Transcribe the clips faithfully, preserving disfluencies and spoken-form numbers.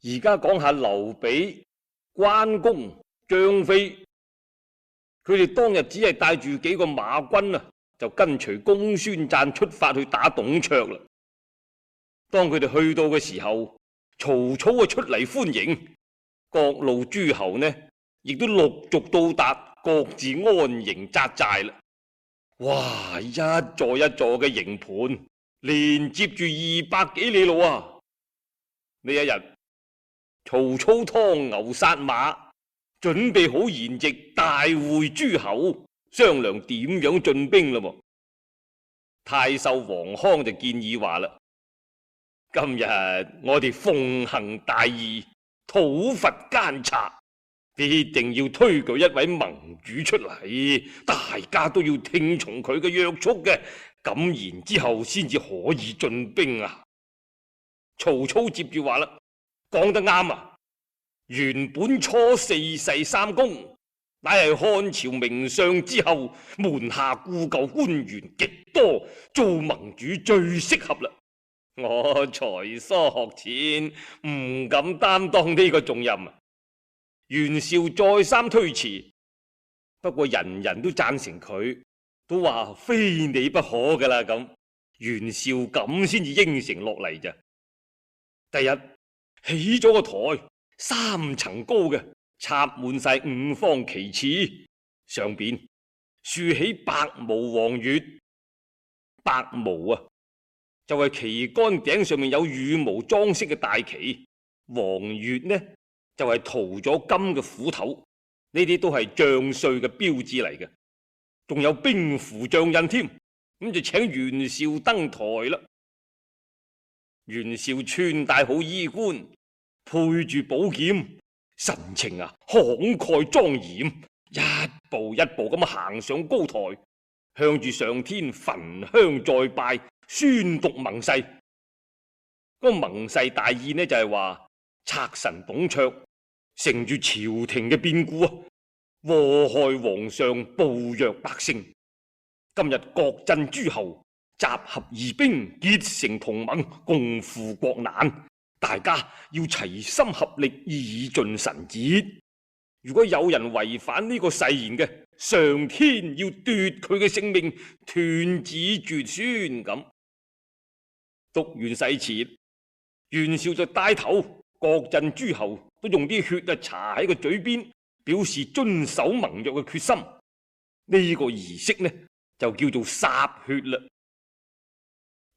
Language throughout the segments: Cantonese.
而家講下劉備、關公、張飛，佢哋當日只係帶住幾個馬軍啊，就跟隨公孫瓚出發去打董卓啦。當佢哋去到嘅時候，曹操啊出嚟歡迎，各路諸侯呢亦都陸續到達，各自安營紮寨啦。哇！一座一座嘅營盤，連接住二百幾里路啊！呢一日，曹操劏牛殺馬，準備好筵席，大會諸侯，商量點樣進兵啦。太守黃康就建議話啦：今日我哋奉行大義，討伐奸賊，必定要推舉一位盟主出嚟，大家都要聽從佢嘅約束嘅，咁然之後先至可以進兵啊！曹操接住話啦：講得啱啊！原本初四世三公，乃係漢朝名相之後，門下故舊官員極多，做盟主最適合啦。我才疏學淺，唔敢擔當呢個重任。袁紹再三推辭，不過人人都贊成佢，都話非你不可噶啦咁。袁紹咁先至應承落嚟咋。第日起咗個台，三層高嘅，插滿晒五方旗幟，上邊豎起白毛黃月。白毛啊，就係旗杆頂上面有羽毛裝飾嘅大旗；黃月呢，就係塗咗金嘅斧頭。呢啲都係將帥嘅標誌嚟嘅，仲有兵符象印添。咁就請袁紹登台啦。袁紹穿戴好衣冠，配住寶劍，神情啊慷慨莊嚴，一步一步咁行上高台，向住上天焚香再拜，宣讀盟誓。個盟誓大意呢就係話賊神董卓乘住朝廷嘅變故啊，禍害皇上，暴虐百姓。今日各鎮諸侯集合義兵，結成同盟，共赴國難。大家要齊心合力，以盡臣節。如果有人違反呢個誓言嘅，上天要奪佢嘅性命，斷子絕孫咁。讀完誓詞，袁紹就帶頭，各鎮諸侯都用啲血啊搽喺個嘴邊，表示遵守盟約嘅決心。呢、這個儀式呢就叫做歃血啦。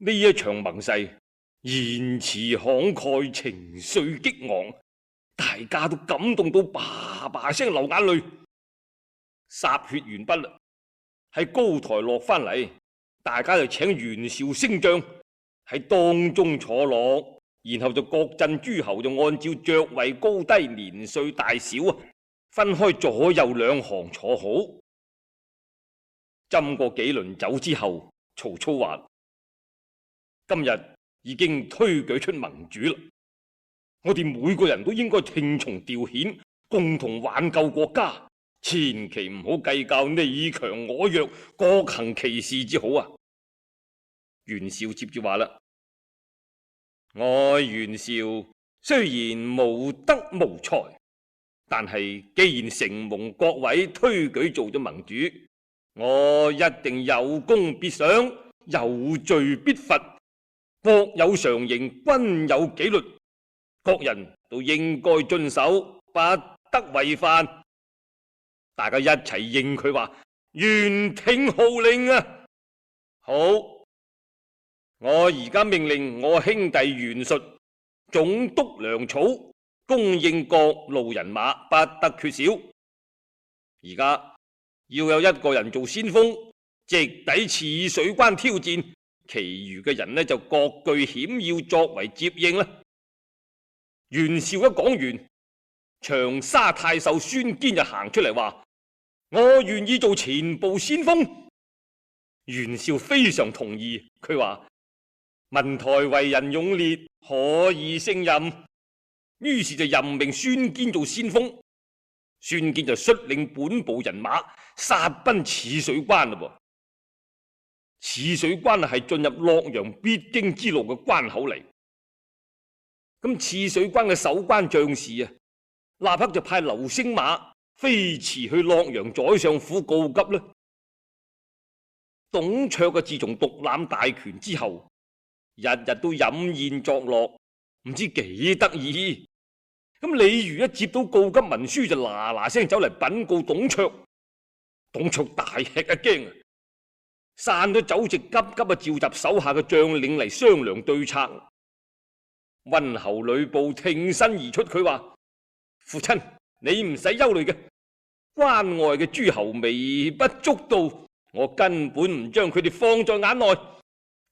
呢一場盟誓，言辭慷慨，情緒激昂，大家都感動到叭叭聲流眼淚。歃血完畢啦，喺高台落翻嚟，大家就請袁紹升帳喺當中坐落，然後就各鎮諸侯就按照爵位高低、年歲大小啊，分開左右兩行坐好。斟過幾輪酒之後，曹操話：今日已經推舉出盟主啦，我哋每個人都應該聽從調遣，共同挽救國家，千祈唔好計較你強我弱，各行其事至好啊！袁紹接住話啦：我袁紹雖然無德無才，但係既然承蒙各位推舉做咗盟主，我一定有功必賞，有罪必罰。國有常刑，軍有紀律，各人都應該遵守，不得違犯。大家一齊應佢話：願聽號令啊！好，我而家命令我兄弟袁術總督糧草，供應各路人馬，不得缺少。而家要有一個人做先鋒，直抵刺水關挑戰，其餘嘅人呢就各據險要作為接應啦。袁紹一講完，長沙太守孫堅就行出嚟話：我願意做前部先鋒。袁紹非常同意，佢話：文台為人勇烈，可以勝任。於是就任命孫堅做先鋒。孫堅就率領本部人馬殺奔刺水關啦。刺水關係進入洛陽必經之路嘅關口嚟。咁刺水關嘅守關將士啊，立刻就派劉星馬飛馳去洛陽宰相府告急啦。董卓啊，自從獨攬大權之後，日日都飲宴作樂，唔知幾得意。咁李儒一接到告急文書，就嗱嗱聲走嚟稟告董卓。董卓大吃一驚啊，散咗酒席，急急啊召集手下嘅將領嚟商量對策。溫侯呂布挺身而出，佢話：父親，你唔使憂慮嘅，關外嘅諸侯微不足道，我根本唔將佢哋放在眼內。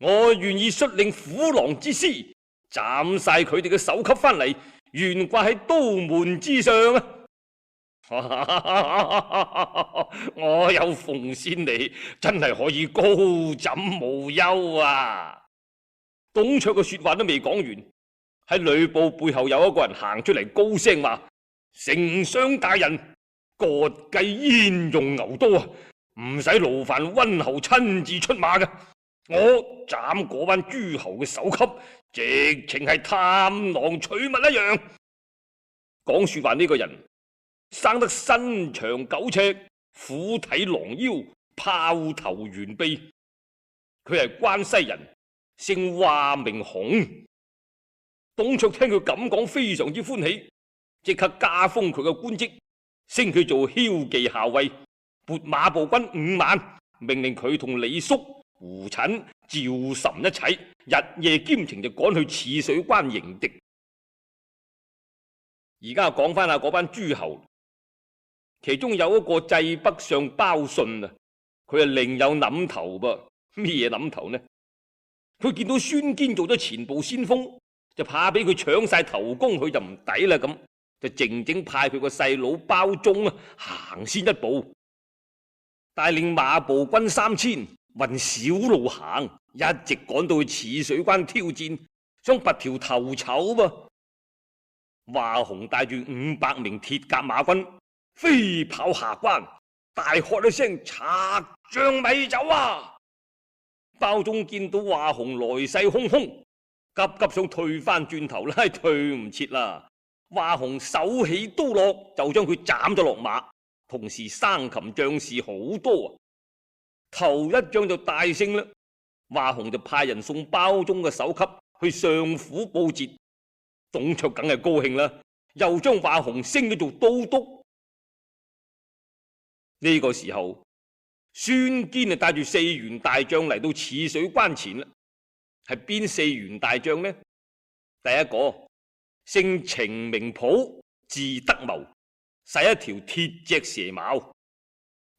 我願意率領虎狼之師，斬晒佢哋嘅首級翻嚟，懸掛喺刀門之上啊！我有鳳仙你，真係可以高枕無憂啊！董卓嘅說話都未講完，喺呂布背後有一個人行出嚟，高聲話：丞相大人，割計焉用牛刀啊！唔使勞煩溫侯親自出馬嘅，我斬嗰班諸侯嘅首級，直情係探囊取物一樣。講說話呢個人生得身長九尺，虎體狼腰，豹頭猿臂。佢係關西人，姓華名雄。董卓聽佢咁講，非常之歡喜，即刻加封佢嘅官職，升佢做驍騎校尉，撥馬步軍五萬，命令佢同李肅、胡軫、趙岑一齊，日夜兼程就趕去刺水關迎敵。而家講翻下嗰班諸侯，其中有一個濟北相鮑信啊，佢係另有諗頭噃。咩嘢諗頭呢？佢見到孫堅做咗前部先鋒，就怕俾佢搶晒頭功，佢就唔抵啦，咁就靜靜派佢個細佬鮑忠啊行先一步，帶領馬步軍三千，運小路行，一直趕到去刺水關挑戰，想拔條頭籌噃。華雄帶住五百名鐵甲馬軍飛跑下關，大喝一聲：賊將咪走啊！鮑忠見到華雄來勢洶洶，急急想退翻轉頭啦，退唔切啦。華雄手起刀落，就將佢斬咗落馬，同時生擒將士好多啊！頭一仗就大勝啦，華雄就派人送鮑忠嘅首級去上府報捷。董卓梗係高興啦，又將華雄升咗做都督。呢個時候，孫堅啊帶住四員大將嚟到刺水關前啦。係邊四員大將呢？第一個姓程名普，字德謀，使一條鐵脊蛇矛；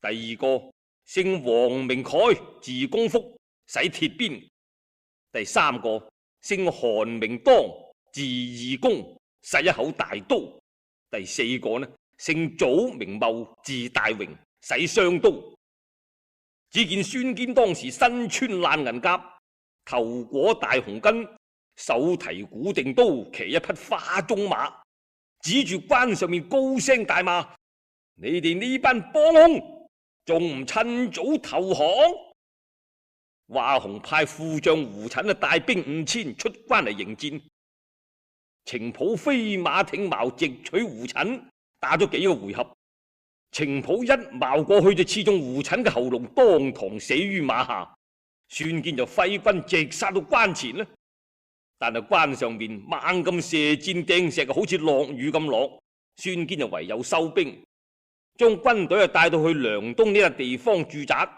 第二個姓黃名蓋，字公福，使鐵鞭；第三個姓韓名當，字義公，使一口大刀；第四個呢姓祖名茂，字大榮，使雙刀。只見孫堅當時身穿爛銀甲，頭裹大紅巾，手提古定刀，騎一匹花鬃馬，指住關上面高聲大罵：你哋呢班幫兇，仲唔趁早投降？華雄派副將胡軫啊帶兵五千出關嚟迎戰。程普飛馬挺矛，直取胡軫，打咗幾個回合，程普一矛過去就刺中胡軫嘅喉嚨，當堂死於馬下。孫堅就揮軍直殺到關前呢，但係關上面猛咁射箭掟石，好似落雨咁落。孫堅就唯有收兵，將軍隊啊帶到去梁東呢個地方駐紮。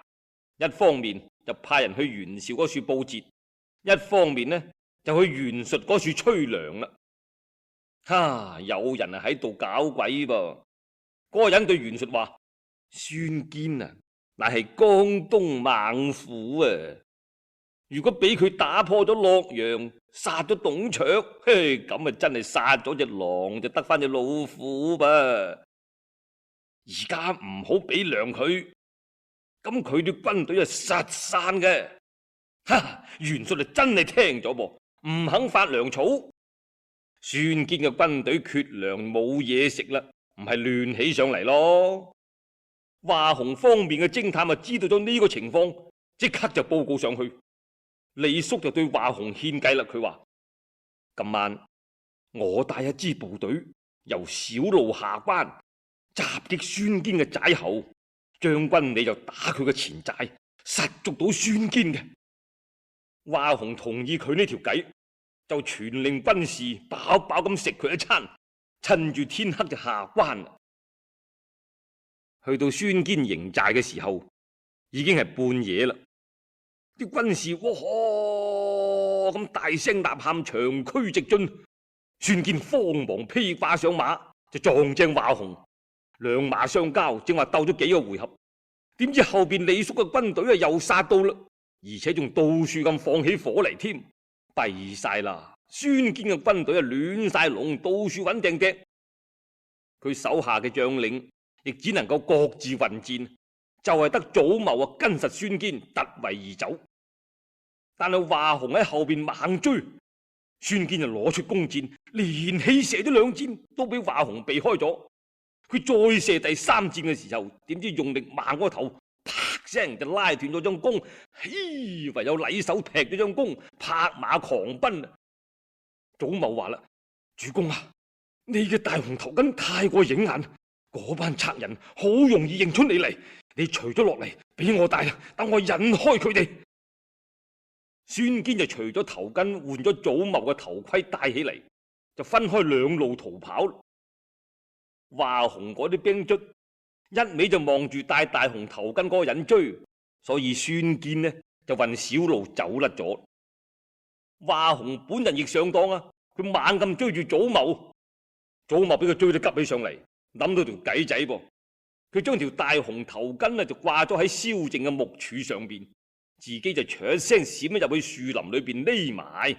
一方面就派人去袁紹嗰處報捷，一方面呢就去袁術嗰處催糧啦。哈！有人啊喺度搞鬼噃！嗰、那個人對袁術話：孫堅啊，乃係江東猛虎啊！如果俾佢打破咗洛陽，殺咗董卓，嘿，咁啊真係殺咗隻狼就得翻隻老虎噃！而家唔好俾糧佢，咁佢啲軍隊啊實散嘅。哈！袁術啊真係聽咗噃，唔肯發糧草。孫堅嘅軍隊缺糧冇嘢食啦，唔係亂起上嚟咯。華雄方面嘅偵探啊知道咗呢個情況，即刻就報告上去。李肅就對華雄獻計啦，佢話：今晚我帶一支部隊由小路下關襲擊孫堅嘅寨後，將軍你就打佢嘅前寨，實捉到孫堅嘅。華雄同意佢呢條計，就傳令軍士飽飽咁食佢一餐，趁住天黑就下關啦。去到孫堅營寨嘅時候，已經係半夜啦。啲軍士哇咁大聲吶喊，長驅直進。孫堅慌忙披掛上馬，就撞正華雄，兩馬相交，正話鬥咗幾個回合，點知後邊李肅嘅軍隊啊又殺到啦，而且仲到處咁放起火嚟添，弊晒啦！孫堅嘅軍隊啊亂晒龍，到處揾掟掟，佢手下嘅將領亦只能夠各自混戰，就係得祖謀啊跟實孫堅突圍而走。但係華雄喺後邊猛追，孫堅就攞出弓箭，連起射咗兩箭，都俾華雄避開咗。佢再射第三箭嘅時候，點知用力猛個頭，啪聲就拉斷咗張弓，嘿，唯有禮手劈咗張弓，拍馬狂奔。祖謀話啦：主公啊，你嘅大紅頭巾太過影眼，嗰班賊人好容易認出你嚟，你除咗落嚟俾我戴，等我引開佢哋。孫堅就除咗頭巾，換咗祖謀嘅頭盔戴起嚟，就分開兩路逃跑。華雄嗰啲兵卒一味就望住戴大紅頭巾嗰個人追，所以孫堅呢就運小路走甩咗。華雄本人亦上當啊，佢猛咁追住祖謀，祖謀俾佢追得急起上嚟，諗到條計仔噃，佢將條大紅頭巾啊就掛咗喺燒淨嘅木柱上邊。自己就唰一聲閃咗入去樹林裏邊匿埋。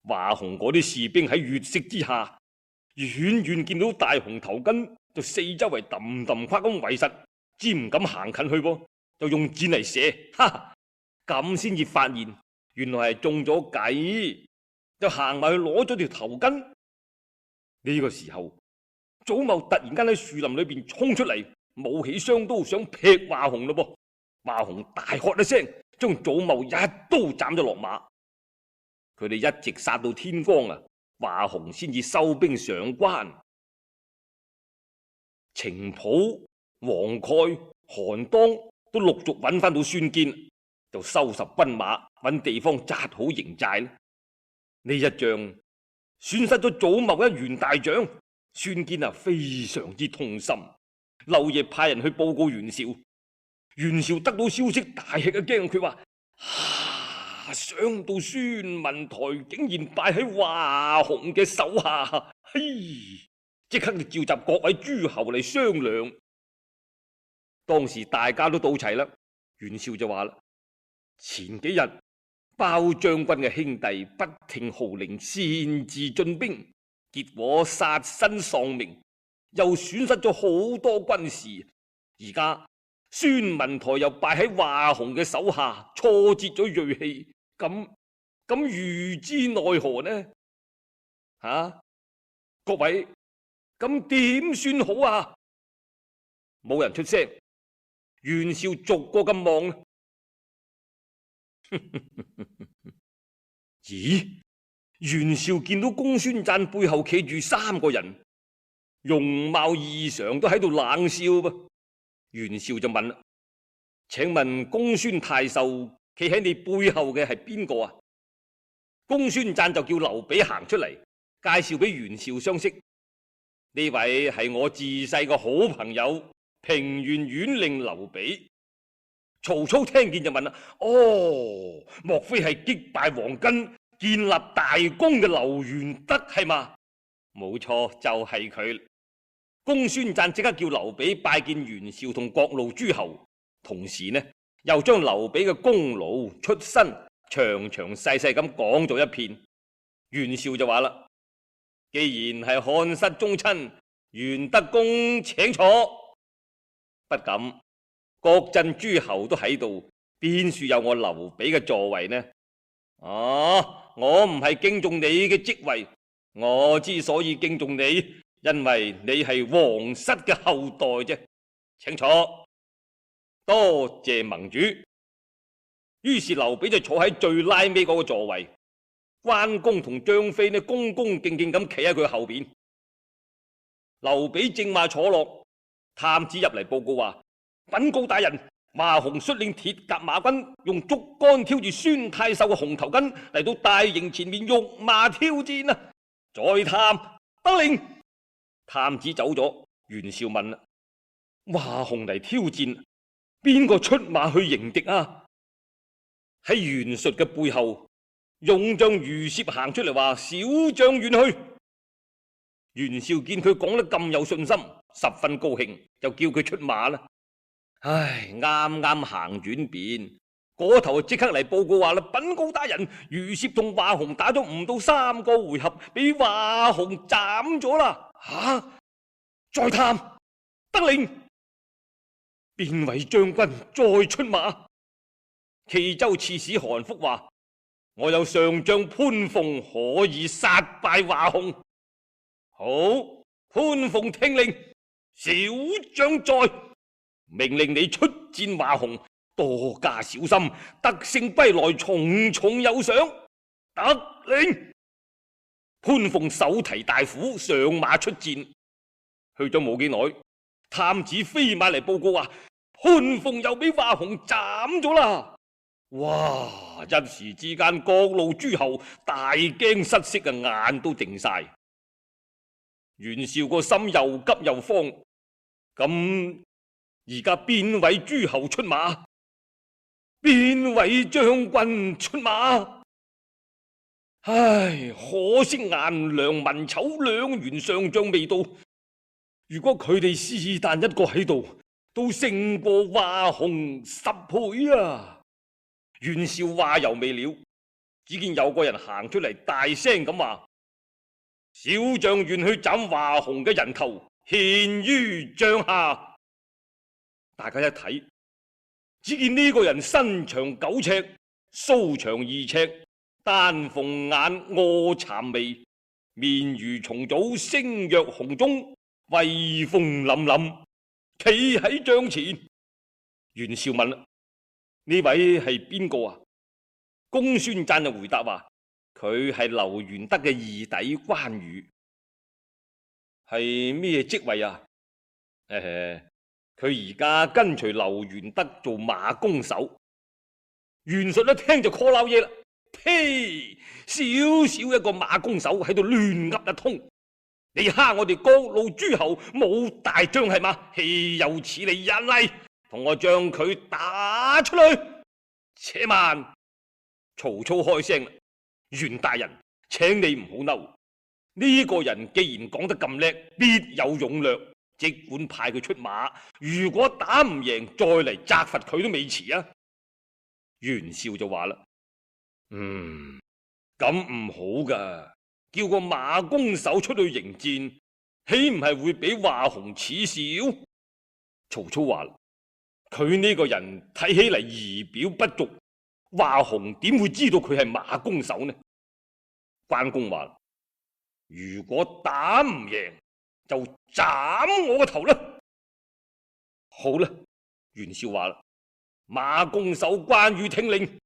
華雄嗰啲士兵喺月色之下，遠遠見到大紅頭巾，就四周圍揼揼跨咁圍實，只唔敢行近去噃，就用箭嚟射，哈哈，咁先至發現原來係中咗計，就行埋去攞咗條頭巾。呢個時候，祖謀突然間喺樹林裏邊衝出嚟，舞起雙刀想劈華雄咯噃。華雄大喝一聲，將祖謀一刀斬咗落馬。佢哋一直殺到天光啊，華雄先至收兵上關。程普、黃蓋、韓當都陸續揾翻到孫堅，就收拾軍馬，揾地方紮好營寨。呢一仗損失咗祖謀一員大將，孫堅啊非常之痛心，漏夜派人去報告袁紹。袁紹得到消息，大吃一驚，佢話：啊，想到孫文台竟然敗喺華雄嘅手下，嘿！即刻就召集各位諸侯嚟商量。當時大家都到齊啦，袁紹就話啦：前幾日包將軍嘅兄弟不聽號令，擅自進兵，結果殺身喪命，又損失咗好多軍士，而家孫文台又敗喺華雄嘅手下，挫折咗銳氣，咁咁如之奈何呢？吓、啊，各位，咁點算好啊？冇人出聲，袁紹逐個咁望。咦？袁紹見到公孫瓚背後企住三個人，容貌異常，都喺度冷笑噃。袁紹就問啦：請問公孫太守企喺你背後嘅係邊個啊？公孫瓚就叫劉備行出嚟，介紹俾袁紹相識。呢位係我自細個好朋友，平原縣令劉備。曹操聽見就問啦：哦，莫非係擊敗黃巾、建立大功嘅劉玄德係嘛？冇錯，就係佢。公孫瓚即刻叫劉備拜見袁紹同各路諸侯，同時呢又將劉備嘅功勞出身詳詳細細咁講咗一遍。袁紹就話啦：既然係漢室宗親，玄德公請坐。不敢，各鎮諸侯都喺度，邊處有我劉備嘅座位呢？啊，我唔係敬重你嘅職位，我之所以敬重你，因為你係皇室嘅後代啫，請坐，多謝盟主。於是劉備就坐喺最拉尾嗰個座位，關公同張飛呢，恭恭敬敬咁企喺佢後邊。劉備正話坐落，探子入嚟報告話：稟告大人，華雄率領鐵甲馬軍用竹竿挑住孫太守嘅紅頭巾嚟到大營前面辱罵挑戰啊！在探得令。探子走咗，袁紹問啦：華雄嚟挑戰，邊個出馬去迎敵啊？喺袁術嘅背後，勇將余攝行出嚟話：小將願去。袁紹見佢講得咁有信心，十分高興，就叫佢出馬啦。唉，啱啱行完邊，嗰頭即刻嚟報告話啦：稟告大人，余攝同華雄打咗唔到三個回合，俾華雄斬咗啦！吓、啊，再探得令，邊位將軍再出馬？冀州刺史韓福話：我有上將潘鳳可以殺敗華雄。好，潘鳳聽令，小將在，命令你出戰華雄，多加小心，得勝歸來，重重有賞。得令。潘鳳手提大斧上馬出戰，去咗冇幾耐，探子飛馬嚟報告話：潘鳳又俾華雄斬咗啦！哇！一時之間，各路諸侯大驚失色啊，眼都定晒。袁紹個心又急又慌，咁而家邊位諸侯出馬？邊位將軍出馬？唉，可惜顏良、文醜兩員上將未到。如果佢哋是但一個喺度，都勝過華雄十倍啊！袁紹話猶未了，只見有個人行出嚟，大聲咁話：小將願去斬華雄嘅人頭，獻於帳下。大家一睇，只見呢個人身長九尺，鬚長二尺，丹鳳眼，臥蠶眉，面如重棗，聲若洪鐘，威風凜凜，企喺帳前。袁紹問啦：呢位係邊個啊？公孫瓚就回答話：佢係劉元德嘅義弟關羽。係咩職位啊？誒，佢而家跟隨劉元德做馬弓手。袁術一聽就 call 撈嘢啦，呸！小小一個馬弓手喺度亂噏一通，你蝦我哋各路諸侯冇大將係嘛？豈有此理！人嚟，同我將佢打出去。且慢，曹操開聲啦：袁大人，請你唔好嬲。呢個人既然講得咁叻，必有勇略，即管派佢出馬。如果打唔贏，再嚟責罰佢都未遲啊！袁紹就話啦：嗯，咁唔好噶，叫個馬弓手出去迎戰，豈唔係會俾華雄恥笑？曹操話啦：佢呢個人睇起嚟儀表不俗，華雄點會知道佢係馬弓手呢？關公話：如果打唔贏，就斬我個頭啦！好啦，袁紹話啦：馬弓手關羽聽令，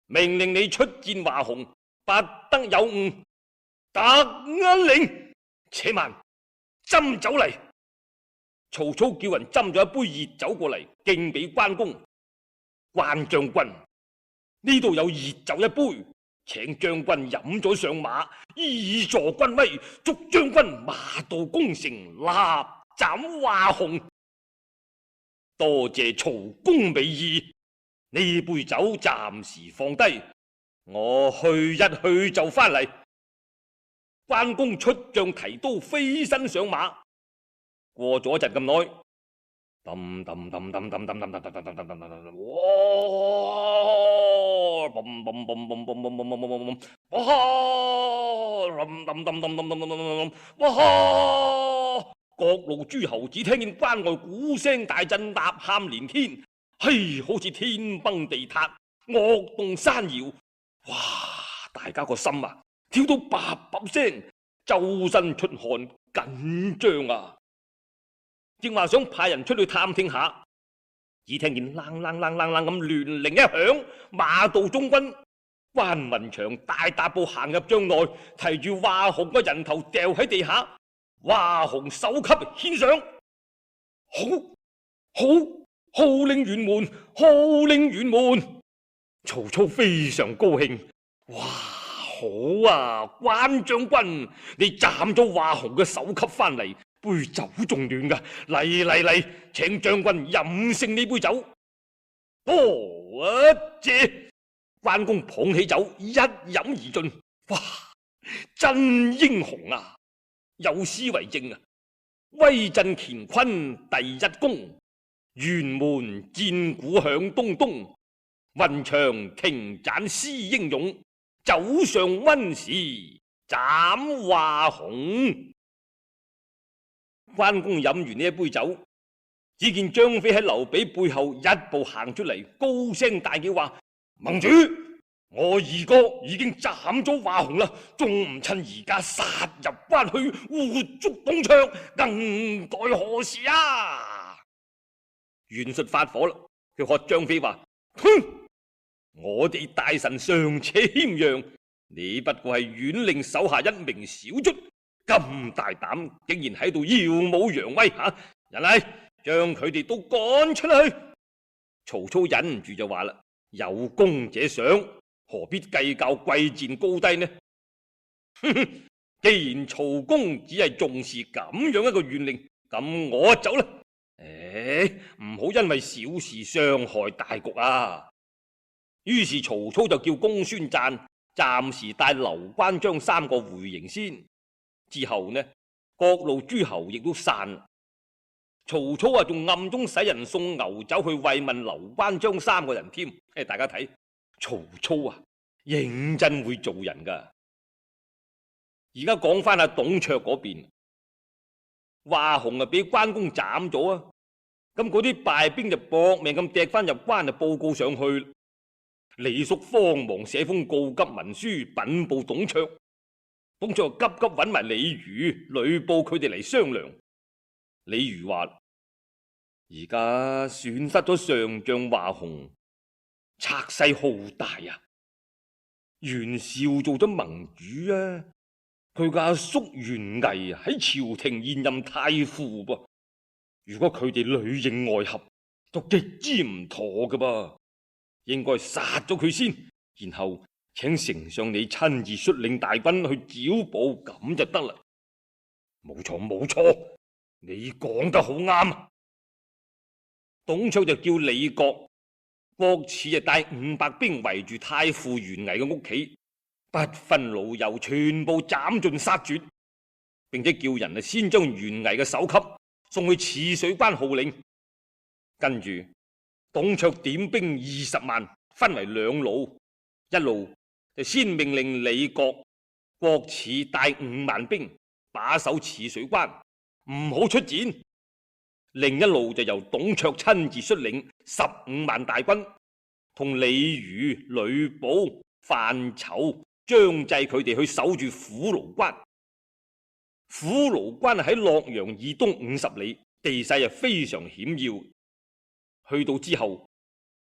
命令你出戰華雄，不得有誤。得令。且慢，斟酒嚟。曹操叫人斟咗一杯熱酒過嚟，敬俾關公。關將軍，呢度有熱酒一杯，請將軍飲咗上馬，以助軍威，祝將軍馬到功成，立斬華雄。多謝曹公美意，呢杯酒暫時放低，我去一去就翻嚟。關公出將提刀，飛身上馬。過咗一陣咁耐，噔噔噔噔噔噔噔噔噔噔噔噔噔，哇！嘣嘣嘣嘣嘣嘣嘣嘣嘣嘣，哇！噔噔噔噔噔噔噔噔，哇！各路諸侯只聽見關外鼓聲大震，吶喊連天，嘿，好似天崩地塌，惡動山搖。哇！大家個心啊，跳到叭叭聲，周身出汗，緊張啊！正話想派人出去探聽下，只聽見啷啷啷啷啷咁亂鈴一響，馬到中軍，關雲長大踏步行入帳內，提住華雄個人頭掉喺地下，華雄首級獻上，好，好，號令轅門，號令轅門。曹操非常高興，哇，好啊，關將軍，你斬咗華雄嘅首級翻嚟，杯酒仲暖噶，嚟嚟嚟，請將軍飲勝呢杯酒。多謝。關公捧起酒一飲而盡，哇！真英雄啊！有詩為證啊：威震乾坤第一功，轅門戰鼓響東東，雲長瓊斬詩英勇，酒上溫時斬華雄。關公飲完呢一杯酒，只見張飛喺劉備背後一步行出嚟，高聲大叫話：盟主，我二哥已經斬咗華雄啦，仲唔趁而家殺入關去，活捉董卓，更待何時啊？袁術發火啦，佢喝張飛話：哼，我哋大臣尚且謙讓，你不過係縣令手下一名小卒，咁大膽，竟然喺度耀武揚威吓！人嚟，將佢哋都趕出去。曹操忍唔住就話啦：有功者賞，何必計較貴賤高低呢？哼哼，既然曹公只係重視咁樣一個縣令，咁我走啦。誒，唔好因為小事傷害大局啊！於是曹操就叫公孫瓚暫時帶劉關張三個回營先。之後呢，各路諸侯亦都散。曹操啊，仲暗中使人送牛酒去慰問劉關張三個人添。誒，大家睇曹操啊，認真會做人噶。而家講翻阿董卓嗰邊，華雄啊俾關公斬咗啊，咁嗰啲敗兵就搏命咁趯翻入關，就報告上去。李肅慌忙寫封告急文書稟報董卓，董卓急急揾埋李儒、呂布佢哋嚟商量。李儒話：而家損失咗上將華雄，賊勢浩大啊！袁紹做咗盟主啊，佢嘅阿叔袁毅喺朝廷現任太傅噃。如果佢哋裏應外合，就極之唔妥㗎噃。應該殺咗佢先，然後請丞相你親自率領大軍去剿捕，咁就得啦。冇錯冇錯，你講得好啱。董卓就叫李傕、郭汜就帶五百兵圍住太傅袁毅嘅屋企，不分老幼，全部斬盡殺絕，並且叫人啊先將袁毅嘅首級送去汜水關號令。跟住董卓點兵二十萬，分為兩路，一路就先命令李傕、郭汜帶五萬兵把守汜水關，唔好出戰；另一路就由董卓親自率領十五萬大軍，同李儒、呂布、范稠、張濟佢哋去守住虎牢關。虎牢關喺洛陽以東五十里，地勢啊非常險要。去到之後，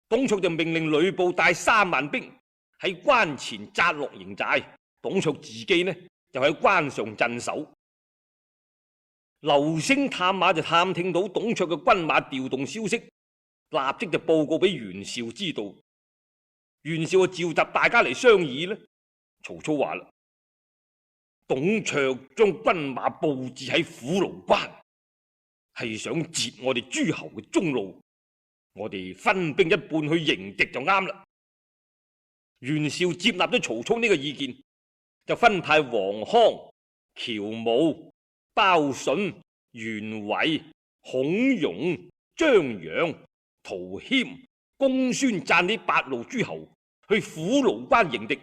董卓就命令呂布帶三萬兵喺關前紮落營寨，董卓自己呢就喺關上鎮守。劉星探馬就探聽到董卓嘅軍馬調動消息，立即就報告俾袁紹知道。袁紹就召集大家嚟商議呢。曹操話啦：董卓將軍馬布置喺虎牢關，係想截我哋諸侯嘅中路。我哋分兵一半去迎敵就啱啦。袁紹接納咗曹操呢個意見，就分派黃康、喬武、鮑信、袁偉、孔融、張楊、陶謙、公孫瓚呢八路諸侯去虎牢關迎敵。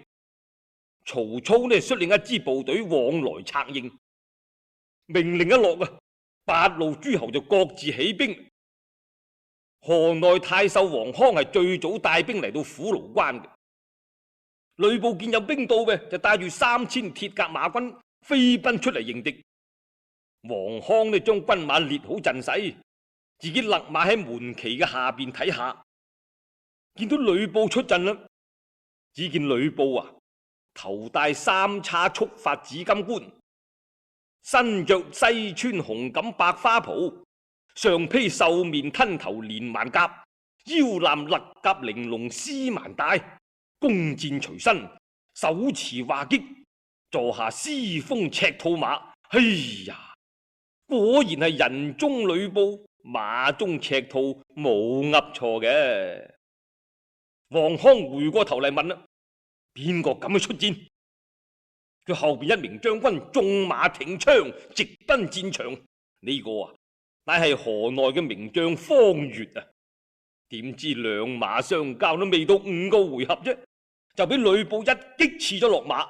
曹操呢率領一支部隊往來策應。命令一落啊，八路諸侯就各自起兵。河內太守黃康係最早帶兵嚟到虎牢關嘅。呂布見有兵到嘅，就帶住三千鐵甲馬軍飛奔出嚟迎敵。黃康呢將軍馬列好陣勢，自己勒馬喺門旗嘅下邊睇下，見到呂布出陣啦，只見呂布啊，頭戴三叉束髮紫金冠，身着西川紅錦白花袍，上披獸面吞頭連環甲，腰攬勒甲玲瓏絲蠻帶，弓箭隨身，手持畫戟，坐下獅風赤兔馬。哎呀，果然係人中呂布，馬中赤兔，冇噏錯嘅。黃康回過頭嚟問啦：邊個敢去出戰？佢後邊一名將軍縱馬挺槍，直奔戰場。呢、這個啊，乃係河內嘅名將方悅啊！點知兩馬相交都未到五個回合啫，就俾呂布一擊刺咗落馬。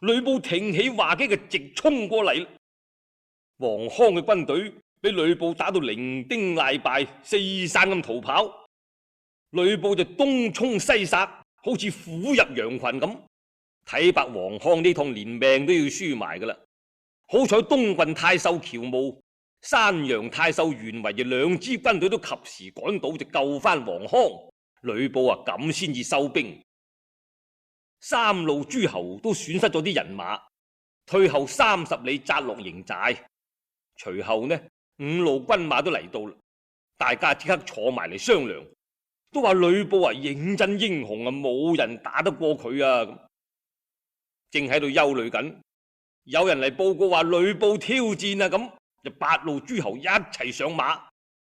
呂布挺起畫戟嘅直衝過嚟。黃康嘅軍隊俾呂布打到零丁賴敗，四散咁逃跑。呂布就東衝西殺，好似虎入羊群咁。睇白黃康呢趟連命都要輸埋噶啦。好彩東郡太守喬瑁、山陽太守袁維嘅兩支軍隊都及時趕到，就救翻黃康。呂布啊，咁先至收兵。三路諸侯都損失咗啲人馬，退後三十里紮落營寨。隨後呢，五路軍馬都嚟到啦，大家即刻坐埋嚟商量，都話呂布啊認真英雄啊，冇人打得過佢啊。咁正喺度憂慮緊，有人嚟報告話呂布挑戰啊，咁就八路諸侯一齊上馬，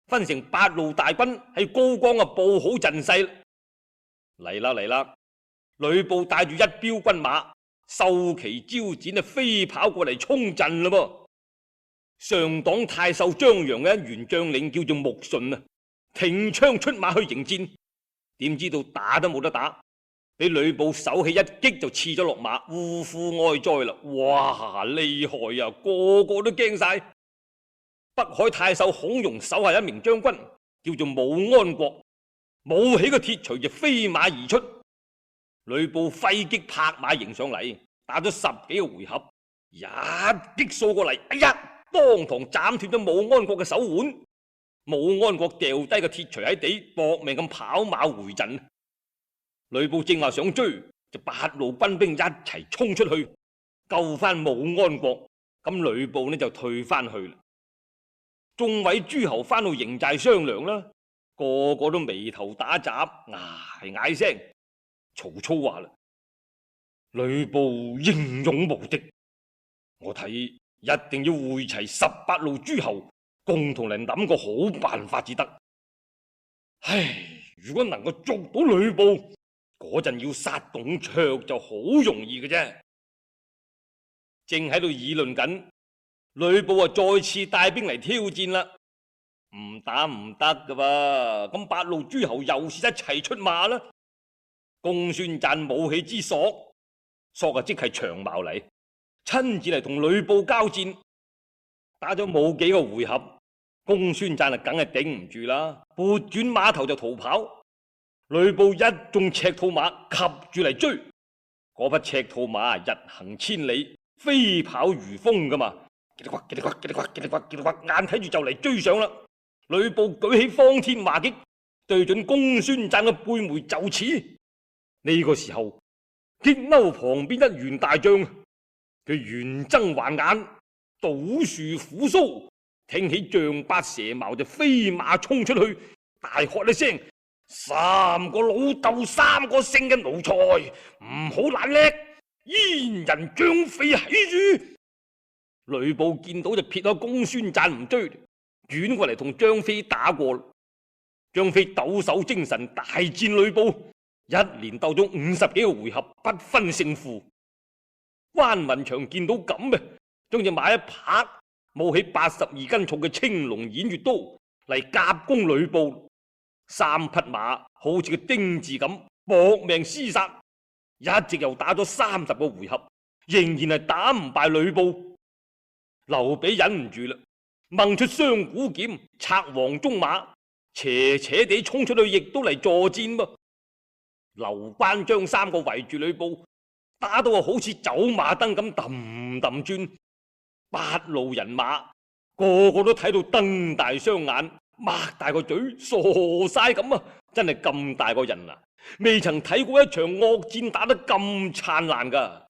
分成八路大軍喺高崗啊布好陣勢。嚟啦嚟啦！呂布帶住一彪軍馬，秀旗招展啊，飛跑過嚟衝陣啦噃。上黨太守張楊嘅一員將領叫做穆順啊，挺槍出馬去迎戰，點知道打都冇得打，俾呂布手起一擊就刺咗落馬，嗚呼哀哉啦！哇，厲害啊，個個都驚晒。北海太守孔融手下一名將軍叫做武安國，舞起個鐵錘就飛馬而出。呂布揮擊拍馬迎上嚟，打咗十幾個回合，一擊掃過嚟，哎呀，當堂斬斷咗武安國嘅手腕。武安國掉低個鐵錘喺地，搏命咁跑馬回陣。呂布正話想追，就八路軍兵一齊衝出去救翻武安國。咁呂布呢就退翻去啦。眾位諸侯翻到營寨商量啦，個個都眉頭打眨，嗌嗌聲。曹操話啦：呂布英勇無敵，我睇一定要匯齊十八路諸侯，共同嚟諗個好辦法至得。唉，如果能夠捉到呂布，嗰陣要殺董卓就好容易嘅啫。正喺度議論緊，呂布啊再次帶兵嚟挑戰啦。唔打唔得噶噃，咁八路諸侯又是一齊出馬啦。公孫瓚舞起支索，索啊即係長矛嚟，親自嚟同呂布交戰。打咗冇幾個回合，公孫瓚啊梗係頂唔住啦，撥轉馬頭就逃跑。呂布一眾赤兔馬及住嚟追，嗰匹赤兔馬日行千里，飛跑如風噶嘛，嘰哩呱嘰哩呱嘰哩呱嘰哩呱嘰哩呱，眼睇住就嚟追上啦。呂布舉起方天畫戟，對準公孫瓚嘅背眉就刺。呢個時候，激嬲旁邊一員大將，佢圓睜環眼，倒豎虎鬚，挺起丈八蛇矛就飛馬衝出去，大喝一聲：三個老豆三個姓嘅奴才，唔好懶叻，燕人張飛喺住。呂布見到就撇開公孫瓚唔追，轉過嚟同張飛打過。張飛抖擻精神大戰呂布。一連鬥咗五十幾個回合，不分勝負。關雲長見到咁嘅，將隻馬一拍，舞起八十二斤重嘅青龍偃月刀嚟夾攻呂布。三匹馬好似個丁字咁搏命廝殺，一直又打咗三十個回合，仍然係打唔敗呂布。劉備忍唔住啦，掹出雙股劍，策黃鬃馬，斜斜地衝出去，亦都嚟助戰噃。劉關張三個圍住呂布，打到啊好似走馬燈咁揼揼轉，八路人馬個個都睇到瞪大雙眼，擘大個嘴，傻晒咁啊！真係咁大個人啊，未曾睇過一場惡戰打得咁燦爛噶。